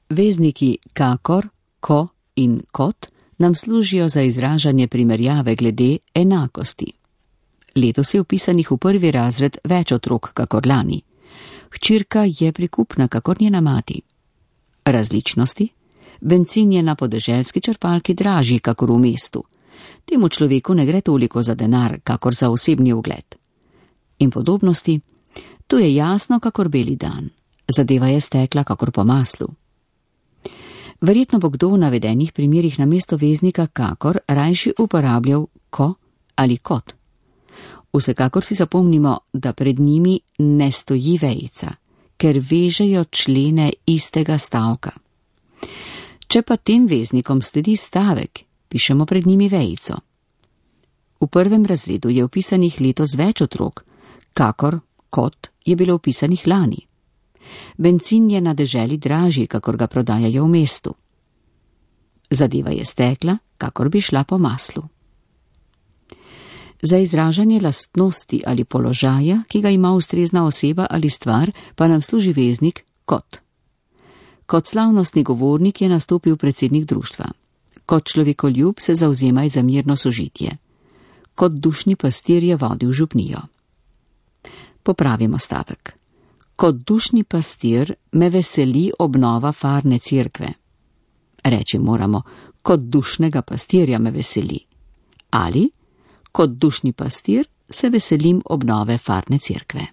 Vezniki kakor, ko in kot nam služijo za izražanje primerjave glede enakosti. Letos je vpisanih v prvi razred več otrok kakor lani. Hčerka je prikupna kakor njena mati. Različnosti? Bencin je na podeželski črpalki dražji kakor v mestu. Temu človeku ne gre toliko za denar kakor za osebni ugled. In podobnosti? To je jasno kakor beli dan. Zadeva je stekla kakor po maslu. Verjetno bo kdo v navedenih primerih namesto veznika kakor rajši uporabljal ko ali kot. Vsekakor si zapomnimo, da pred njimi ne stoji vejica, ker vežejo člene istega stavka. Če pa tem veznikom sledi stavek, pišemo pred njimi vejico. V prvem razredu je vpisanih letos več otrok, kakor kot je bilo vpisanih lani. Bencin je na deželi dražji, kakor ga prodajajo v mestu. Zadeva je stekla, kakor bi šla po maslu. Za izražanje lastnosti ali položaja, ki ga ima ustrezna oseba ali stvar, pa nam služi veznik kot. Kot slavnostni govornik je nastopil predsednik društva. Kot človekoljub se zavzemaj za mirno sožitje. Kot dušni pastir je vodil župnijo. Popravimo stavek. Kot dušni pastir me veseli obnova farne cerkve. Reči moramo, kot dušnega pastirja me veseli. Ali, kot dušni pastir se veselim obnove farne cerkve.